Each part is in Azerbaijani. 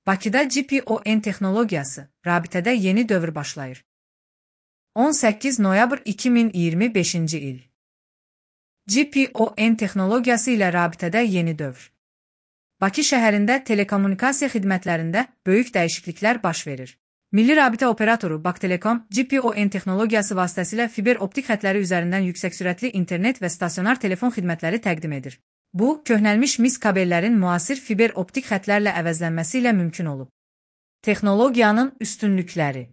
Bakıda GPON texnologiyası, rabitədə yeni dövr başlayır. 18 noyabr 2025-ci il. GPON texnologiyası ilə rabitədə yeni dövr. Bakı şəhərində telekommunikasiya xidmətlərində böyük dəyişikliklər baş verir. Milli Rabitə Operatoru Baktelekom, GPON texnologiyası vasitəsilə fiber optik xətləri üzərindən yüksək sürətli internet və stasionar telefon xidmətləri təqdim edir. Bu, köhnəlmiş mis kabellərin müasir fiber optik xətlərlə əvəzlənməsi ilə mümkün olub. Texnologiyanın üstünlükləri.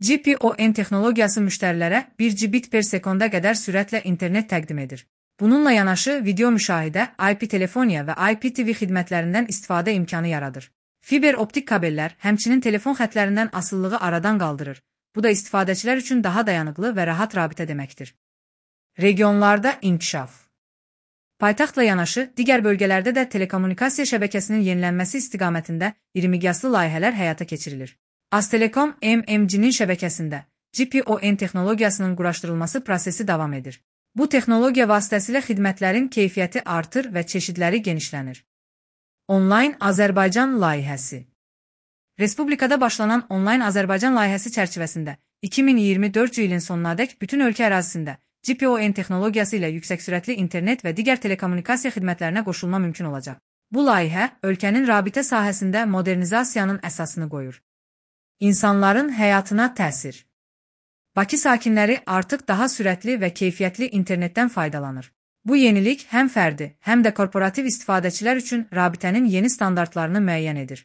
GPON texnologiyası müştərilərə 1 Gbit per sekonda qədər sürətlə internet təqdim edir. Bununla yanaşı video müşahidə, IP telefoniya və IPTV xidmətlərindən istifadə imkanı yaradır. Fiber optik kabellər həmçinin telefon xətlərindən asılılığı aradan qaldırır. Bu da istifadəçilər üçün daha dayanıqlı və rahat rabitə deməkdir. Regionlarda inkişaf. Paytaxtla yanaşı, digər bölgələrdə də telekommunikasiya şəbəkəsinin yenilənməsi istiqamətində iri miqyaslı layihələr həyata keçirilir. Aztelekom MMC-nin şəbəkəsində GPON texnologiyasının quraşdırılması prosesi davam edir. Bu texnologiya vasitəsilə xidmətlərin keyfiyyəti artır və çeşidləri genişlənir. Onlayn Azərbaycan layihəsi. Respublikada başlanan Onlayn Azərbaycan layihəsi çərçivəsində 2024 ilin sonunadək bütün ölkə ərazisində GPON texnologiyası ilə yüksək sürətli internet və digər telekommunikasiya xidmətlərinə qoşulma mümkün olacaq. Bu layihə ölkənin rabitə sahəsində modernizasiyanın əsasını qoyur. İnsanların həyatına təsir. Bakı sakinləri artıq daha sürətli və keyfiyyətli internetdən faydalanır. Bu yenilik həm fərdi, həm də korporativ istifadəçilər üçün rabitənin yeni standartlarını müəyyən edir.